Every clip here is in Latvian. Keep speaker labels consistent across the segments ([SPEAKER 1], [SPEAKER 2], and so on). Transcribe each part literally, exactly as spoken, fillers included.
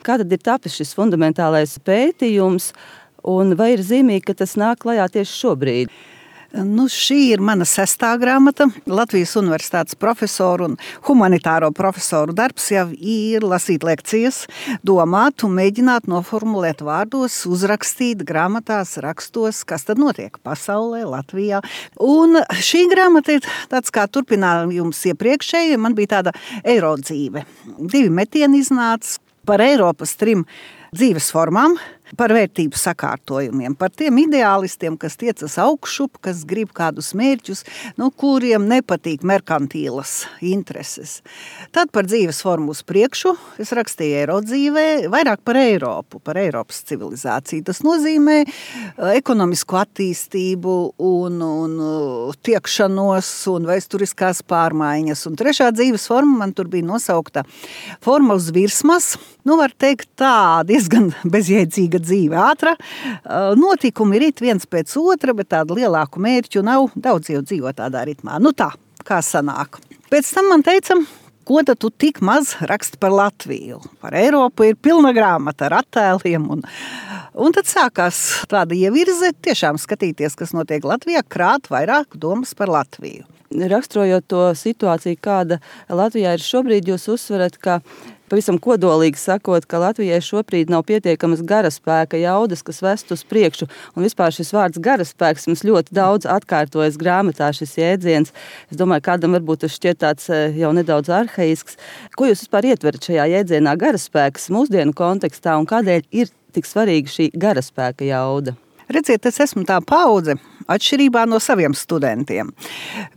[SPEAKER 1] Kā tad ir tapis šis fundamentālais pētījums, un vai ir zīmīgi, ka tas nāk klajā tieši šobrīd?
[SPEAKER 2] Nu, šī ir mana sestā grāmata. Latvijas Universitātes profesoru un humanitāro profesoru darbs jau ir lasīt lekcijas, domāt un mēģināt noformulēt vārdos, uzrakstīt grāmatās, rakstos, kas tad notiek pasaulē, Latvijā. Un šī grāmata ir tāds kā turpinājums iepriekšēji. Man bija tāda eirodzīve. Divi metieni iznāca par Eiropas trim dzīves formām, par vērtību sakārtojumiem, par tiem ideālistiem, kas tiecas augšup, kas grib kādus mērķus, nu, kuriem nepatīk merkantīlas intereses. Tad par dzīves formu uz priekšu es rakstīju eirodzīvē, vairāk par Eiropu, par Eiropas civilizāciju. Tas nozīmē ekonomisku attīstību un, un tiekšanos un vēsturiskās pārmaiņas. Un trešā dzīves forma man tur bija nosaukta forma uz virsmas. Nu, var teikt tā, diezgan bezjēdzīga dzīve ātra. Notikumi rit viens pēc otra, bet tādu lielāku mērķu nav. Daudz jau dzīvo tādā ritmā. Nu tā, kā sanāk. Pēc tam man teica, ko tad tu tik maz raksti par Latviju? Par Eiropu ir pilna grāmata ar attēliem. Un, un tad sākās tāda ievirze, tiešām skatīties, kas notiek Latvijā, krāt vairāk domas par Latviju.
[SPEAKER 1] Raksturojot to situāciju, kāda Latvijā ir šobrīd, jūs uzsverat, ka pavisam kodolīgi sakot, ka Latvijai šobrīd nav pietiekamas garaspēka jaudas, kas vest uz priekšu. Un vispār šis vārds garaspēks mums ļoti daudz atkārtojas grāmatā, šis jēdziens. Es domāju, kādam varbūt tas šķiet tāds jau nedaudz arhaisks. Ko jūs vispār ietverat šajā jēdzienā garaspēks mūsdienu kontekstā un kādēļ ir tik svarīga šī garaspēka jauda?
[SPEAKER 2] Redziet, es esmu tā paudze, atšķirībā no saviem studentiem,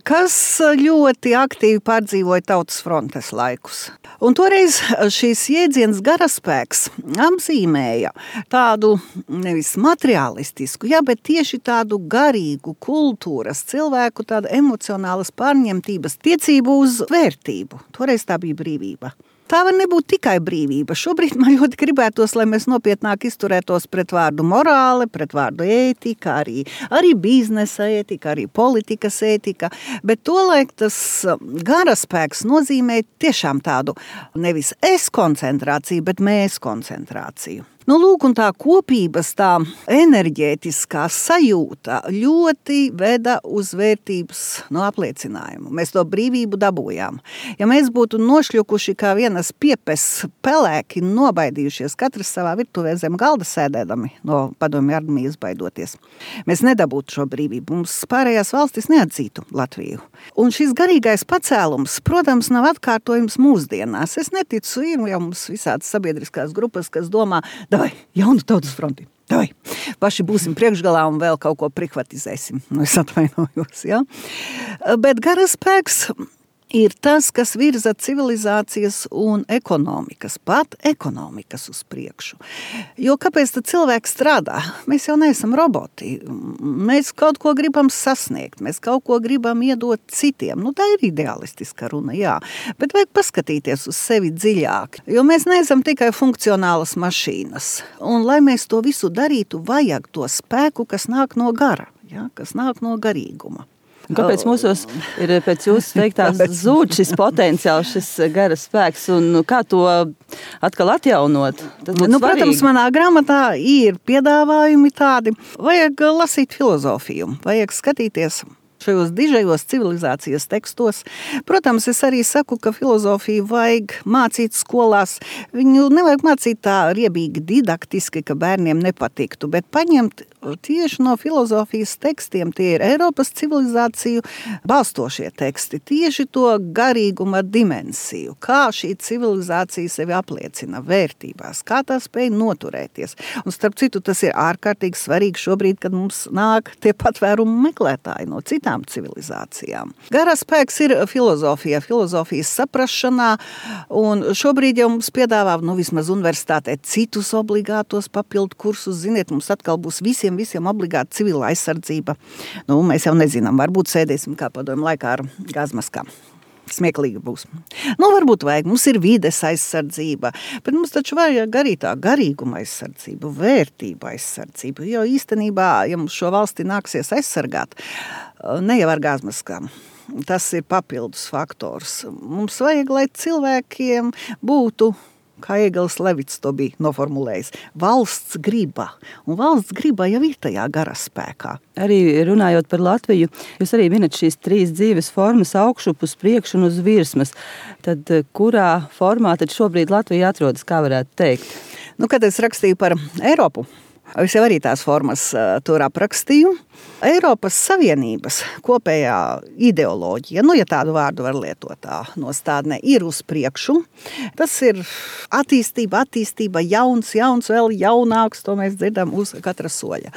[SPEAKER 2] kas ļoti aktīvi pārdzīvoja Tautas frontes laikus. Un toreiz šīs jēdziens garaspēks apzīmēja tādu nevis materiālistisku, jā, bet tieši tādu garīgu kultūras cilvēku, tādu emocionālas pārņemtības tiecību uz vērtību. Toreiz tā bija brīvība. Tā var nebūt tikai brīvība. Šobrīd man ļoti gribētos, lai mēs nopietnāk izturētos pret vārdu morāle, pret vārdu ētika, arī, arī biznesa ētika, arī politikas ētika. Bet tolaik tas garaspēks nozīmē tiešām tādu nevis es koncentrāciju, bet mēs koncentrāciju. Nu, lūk, un tā kopības, tā enerģētiskā sajūta ļoti veda uz vērtības no apliecinājumu. Mēs to brīvību dabūjām. Ja mēs būtu nošļukuši kā vienas piepes pelēki, nobaidījušies katrs savā virtuvē zem galda sēdēdami, no padomju armijas baidoties, mēs nedabūtu šo brīvību. Mums pārējās valstis neatzītu Latviju. Un šis garīgais pacēlums, protams, nav atkārtojums mūsdienās. Es neticu, ir jau mums visādas sabiedriskās grupas, kas domā, davai, jaunu Tautas fronti, davai, paši būsim priekšgalā un vēl kaut ko prihvatizēsim. Nu, es atvainojos, jā. Bet garaspēks ir tas, kas virza civilizācijas un ekonomikas, pat ekonomikas uz priekšu. Jo kāpēc tad cilvēks strādā? Mēs jau neesam roboti. Mēs kaut ko gribam sasniegt, mēs kaut ko gribam iedot citiem. Nu, tā ir idealistiska runa, jā. Bet vajag paskatīties uz sevi dziļāk, jo mēs neesam tikai funkcionālas mašīnas. Un, lai mēs to visu darītu, vajag to spēku, kas nāk no gara, jā, kas nāk no garīguma.
[SPEAKER 1] Un kāpēc mūsos ir pēc jūsu teiktās zūd šis potenciāls, šis garas spēks, un kā to atkal atjaunot?
[SPEAKER 2] Nu, protams, manā grāmatā ir piedāvājumi tādi. Vajag lasīt filozofiju, vajag skatīties šajos dižajos civilizācijas tekstos. Protams, es arī saku, ka filozofiju vajag mācīt skolās. Viņu nevajag mācīt tā riebīgi didaktiski, ka bērniem nepatiktu, bet paņemt tieši no filozofijas tekstiem. Tie ir Eiropas civilizāciju balstošie teksti. Tieši to garīguma dimensiju. Kā šī civilizācija sevi apliecina vērtībās, kā tā spēj noturēties. Un starp citu, tas ir ārkārtīgi svarīgi šobrīd, kad mums nāk tie patvērumu meklētāji no citām civilizācijām. Garaspēks ir filozofija, filozofijas saprašanā, un šobrīd jau mums piedāvā, nu vismaz universitātē, citus obligātos papildu kursus. Ziniet, mums atkal būs visiem visiem obligāti civila aizsardzība. Nu, mēs jau nezinām, varbūt sēdēsim kā padomju laikā ar gazmaskām. Smieklīgi būs. Nu, varbūt vajag, mums ir vides aizsardzība, bet mums taču vajag arī tā garīguma aizsardzību, vērtību aizsardzību, jo īstenībā, ja mums šo valsti nāksies aizsargāt, ne jau ar gazmaskām. Tas ir papildus faktors. Mums vajag, lai cilvēkiem būtu kā Ēgils Levits to bija noformulējis. Valsts griba, un valsts griba jau ir tajā garaspēkā.
[SPEAKER 1] Arī runājot par Latviju, jūs arī minat šīs trīs dzīves formas – augšup, uz priekšu un uz virsmas. Tad kurā formā tad šobrīd Latvija atrodas, kā varētu teikt?
[SPEAKER 2] Nu, kad es rakstīju par Eiropu, es jau arī tās formas uh, tur aprakstīju. Eiropas Savienības kopējā ideoloģija, nu, ja tādu vārdu var lietot tā nostādnē, ir uz priekšu. Tas ir attīstība, attīstība, jauns, jauns, vēl jaunāks, to mēs dzirdam uz katra soļa.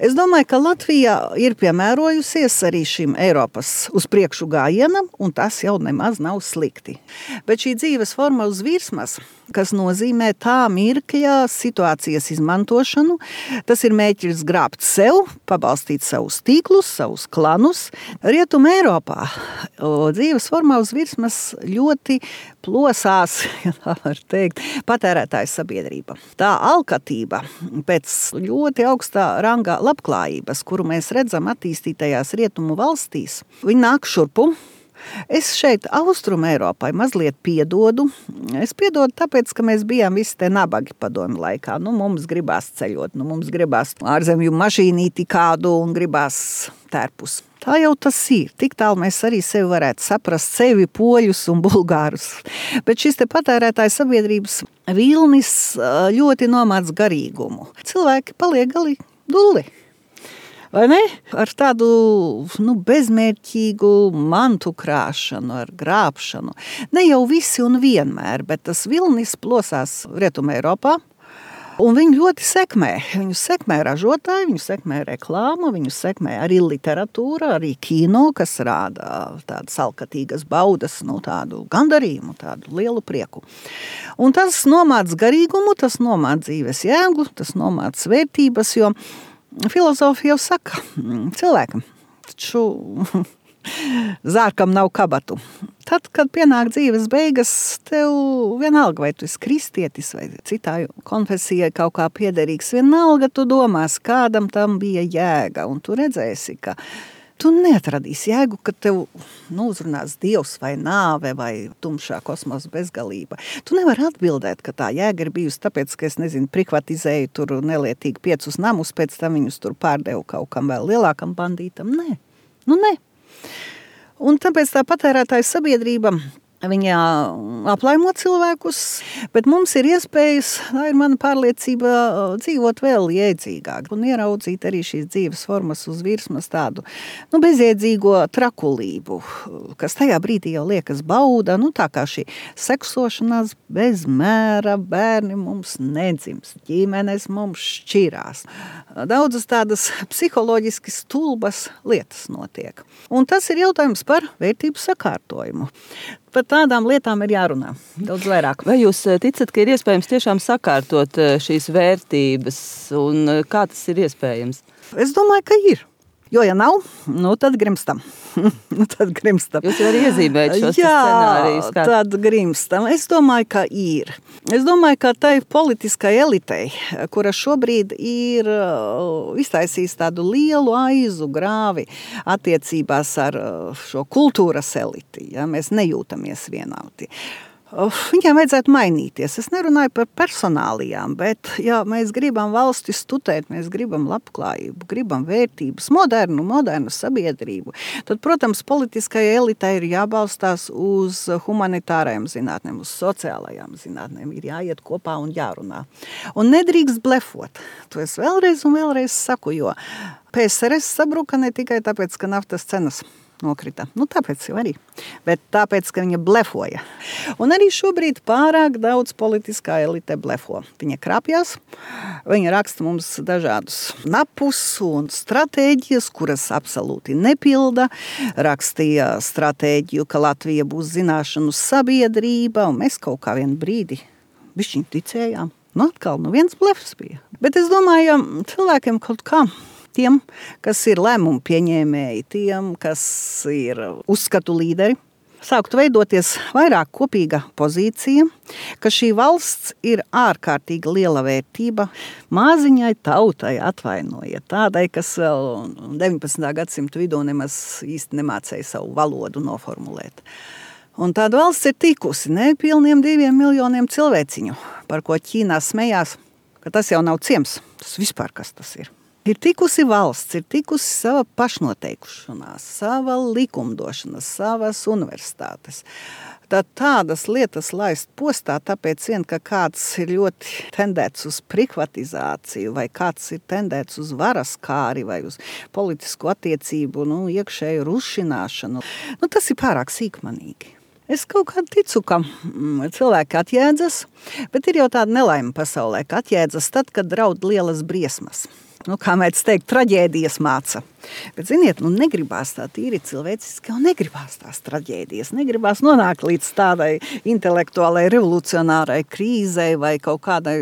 [SPEAKER 2] Es domāju, ka Latvija ir piemērojusies arī šim Eiropas uz priekšu gājienam, un tas jau nemaz nav slikti. Bet šī dzīves forma uz virsmas, kas nozīmē tā mirkļa situācijas izmantošanu, tas ir mēķis grābt sev, pabalstīt savus tīklus, savus klanus. Rietuma Eiropā dzīves formā uz virsmas ļoti plosās, ja tā var teikt, patērētāju sabiedrība. Tā alkatība pēc ļoti augstā rangā labklājības, kuru mēs redzam attīstītajās rietumu valstīs, viņi nāk šurpu. Es šeit Austrumu Eiropai mazliet piedodu. Es piedodu tāpēc, ka mēs bijām visi te nabagi padomju laikā. Nu, mums gribās ceļot, nu, mums gribās ārzemju mašīnīti kādu un gribās tērpus. Tā jau tas ir. Tik tālu mēs arī sevi varētu saprast, sevi, poļus un bulgārus. Bet šis te patērētāju sabiedrības vilnis ļoti nomāc garīgumu. Cilvēki paliek gali dulli. Vai ne? Ar tādu nu, bezmērķīgu mantu krāšanu, ar grābšanu. Ne jau visi un vienmēr, bet tas vilnis plosās Rietuma Eiropā. Un viņi ļoti sekmē. Viņu sekmē ražotāji, viņu sekmē reklāma, viņu sekmē arī literatūra, arī kino, kas rāda tādas alkatīgas baudas, nu, tādu gandarījumu, tādu lielu prieku. Un tas nomāc garīgumu, tas nomāc dzīves jēgu, tas nomāc vērtības, jo filozofija jau saka, cilvēkam, taču zārkam nav kabatu. Tad, kad pienāk dzīves beigas, tev vienalga, vai tu esi kristietis vai citā konfesijai kaut kā piederīgs, vienalga tu domās, kādam tam bija jēga, un tu redzēsi, ka tu neatradīsi jēgu, ka tev nu, uzrunās Dievs vai nāve vai tumšā kosmosa bezgalība. Tu nevari atbildēt, ka tā jēga ir bijusi tāpēc, ka es nezinu, prikvatizēju tur nelietīgi piecus namus, pēc tam viņus tur pārdevu kaut kam vēl lielākam bandītam. Nē, nu ne. Un tāpēc tā patērētāja sabiedrība, viņa aplaimo cilvēkus, bet mums ir iespējas, tā ir mana pārliecība, dzīvot vēl jēdzīgāk un ieraudzīt arī šīs dzīves formas uz virsmas tādu nu, bezjēdzīgo trakulību, kas tajā brīdī jau liekas bauda, nu tā kā šī seksošanās bez mēra, bērni mums nedzims, ģimenes mums šķirās. Daudzas tādas psiholoģiski stulbas lietas notiek. Un tas ir jautājums par vērtību sakārtojumu. Par tādām lietām ir jārunā daudz vairāk.
[SPEAKER 1] Vai jūs ticat, ka ir iespējams tiešām sakārtot šīs vērtības un kā tas ir iespējams?
[SPEAKER 2] Es domāju, ka ir. Jo, ja nav, nu tad grimstam. nu tad grimstam.
[SPEAKER 1] Jūs jau arī iezīmējat šos
[SPEAKER 2] Jā,
[SPEAKER 1] scenārijus. Kā...
[SPEAKER 2] tad grimstam. Es domāju, ka ir. Es domāju, ka tai politiskai elitei, kura šobrīd ir iztaisījis tādu lielu aizu grāvi attiecībās ar šo kultūras eliti, ja mēs nejūtamies vienādi. Viņiem vajadzētu mainīties. Es nerunāju par personālijām, bet ja mēs gribam valsti stutēt, mēs gribam labklājību, gribam vērtības, modernu, modernu sabiedrību, tad, protams, politiskai elitai ir jābalstās uz humanitārajām zinātnēm, uz sociālajām zinātnēm, ir jāiet kopā un jārunā. Un nedrīkst blefot. To es vēlreiz un vēlreiz saku, jo P S R S sabruka ne tikai tāpēc, ka naftas cenas nokrita. Nu, tāpēc jau arī. Bet tāpēc, ka viņa blefoja. Un arī šobrīd pārāk daudz politiskā elite blefo. Viņa krāpjas, viņa raksta mums dažādus napus un stratēģijas, kuras absolūti nepilda. Rakstīja stratēģiju, ka Latvija būs zināšanu sabiedrība, un mēs kaut kā vienu brīdi bišķiņ ticējām. Nu, atkal, nu viens blefs bija. Bet es domāju, cilvēkiem kaut kā tiem, kas ir lēmumu pieņēmēji, tiem, kas ir uzskatu līderi, sāktu veidoties vairāk kopīga pozīcija, ka šī valsts ir ārkārtīgi liela vērtība māziņai tautai, atvainojiet, tādai, kas vēl deviņpadsmitā gadsimta vidū nemaz īsti nemācēja savu valodu noformulēt. Un tāda valsts ir tikusi nepilniem diviem miljoniem cilvēciņu, par ko Ķīnā smējās, ka tas jau nav ciems, tas vispār kas tas ir. Ir tikusi valsts, ir tikusi sava pašnoteikušanās, sava likumdošana, savas universitātes. Tad tādas lietas laist postā, tāpēc vien, ka kāds ir ļoti tendēts uz privatizāciju, vai kāds ir tendēts uz varas kāri, vai uz politisku attiecību, nu, iekšēju rušināšanu. Nu, tas ir pārāk sīkmanīgi. Es kaut kā ticu, ka mm, cilvēki atjēdzas, bet ir jau tāda nelaime pasaulē, ka atjēdzas tad, kad draud lielas briesmas. Nu, kā mēs teikt, traģēdijas māca. Bet, ziniet, nu negribās tā tīri cilvēciski, un negribās tās traģēdijas, negribās nonākt līdz tādai intelektuālai revolucionārai krīzei vai kaut kādai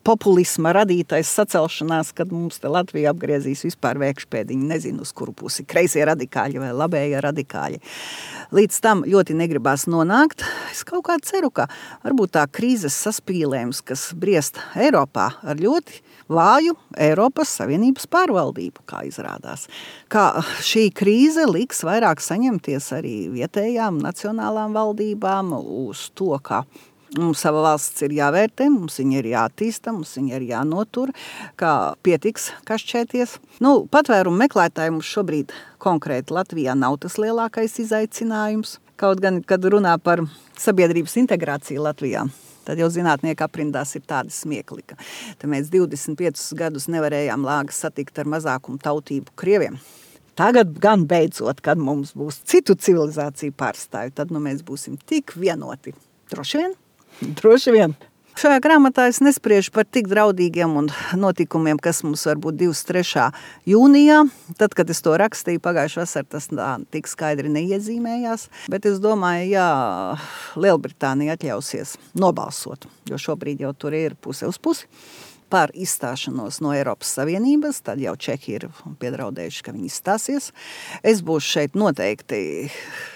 [SPEAKER 2] populisma radītais sacelšanās, kad mums te Latvija apgriezīs vispār vēkšpēdiņu, nezinu, uz kuru pusi, kreisie radikāļi vai labējie radikāļi. Līdz tam ļoti negribās nonākt. Es kaut kā ceru, ka varbūt tā krīzes saspīlējums, kas briest Eiropā ar ļoti vāju Eiropas Savienības pārvaldību, kā izrādās. Kā šī krīze liks vairāk saņemties arī vietējām nacionālām valdībām uz to, ka mums sava valsts ir jāvērtē, mums viņa ir jāattīsta, mums viņa ir jānotur, kā pietiks kašķēties. Nu, patvērumu meklētāji mums šobrīd konkrēti Latvijā nav tas lielākais izaicinājums. Kaut gan, kad runā par sabiedrības integrāciju Latvijā, tad jau zinātnieki aprindās ir tādi smiekli, ka mēs divdesmit piecus gadus nevarējām lāgas satikt ar mazākumu tautību krieviem. Tagad gan beidzot, kad mums būs citu civilizāciju pārstāvi, tad nu mēs būsim tik vienoti. Droši vien? Droši vien. Šajā grāmatā es nespriežu par tik draudīgiem un notikumiem, kas mums var būt divdesmit trešā jūnijā. Tad, kad es to rakstīju pagājušā vasarā, tas tā tik skaidri neiezīmējās. Bet es domāju, jā, Lielbritānija atļausies nobalsot, jo šobrīd jau tur ir puse uz pusi par izstāšanos no Eiropas Savienības, tad jau Čehi ir piedraudējuši, ka viņi izstāsies. Es būšu šeit noteikti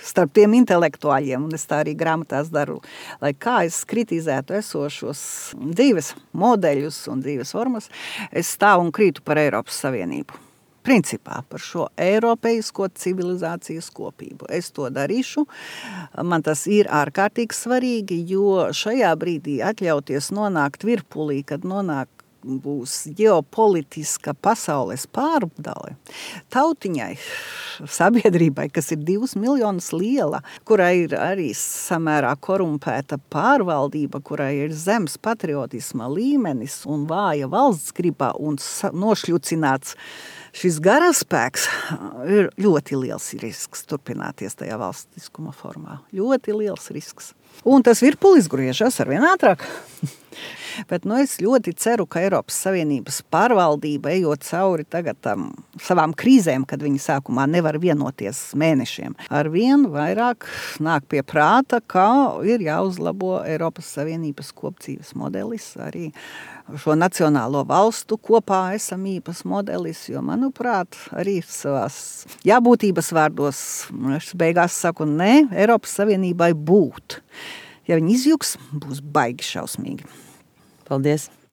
[SPEAKER 2] starp tiem intelektuāļiem, un es tā arī grāmatās daru, lai kā es kritizētu esošos dzīves modeļus un dzīves formas, es stāvu un krītu par Eiropas Savienību. Principā par šo eiropeisko civilizācijas kopību. Es to darīšu. Man tas ir ārkārtīgi svarīgi, jo šajā brīdī atļauties nonākt virpulī, kad nonāk būs ģeopolitiska pasaules pārdale, tautiņai, sabiedrībai, kas ir divus miljonus liela, kurai ir arī samērā korumpēta pārvaldība, kurai ir zems patriotisma līmenis un vāja valsts gribā un nošļucināts šis garaspēks, ir ļoti liels risks turpināties tajā valstiskuma formā. Ļoti liels risks. Un tas virpulis griežas arvien ātrāk. Bet nu, es ļoti ceru, ka Eiropas Savienības pārvaldība, ejot cauri tagad tam savām krīzēm, kad viņi sākumā nevar vienoties mēnešiem, arvien vairāk nāk pie prāta, ka ir jāuzlabo Eiropas Savienības kopdzīves modelis, arī šo nacionālo valstu kopā esamības modelis, jo, manuprāt, arī savās jābūtības vārdos, es beigās saku, ne, Eiropas Savienībai būt. Ja viņi izjuks, būs baigi šausmīgi.
[SPEAKER 1] Paldies!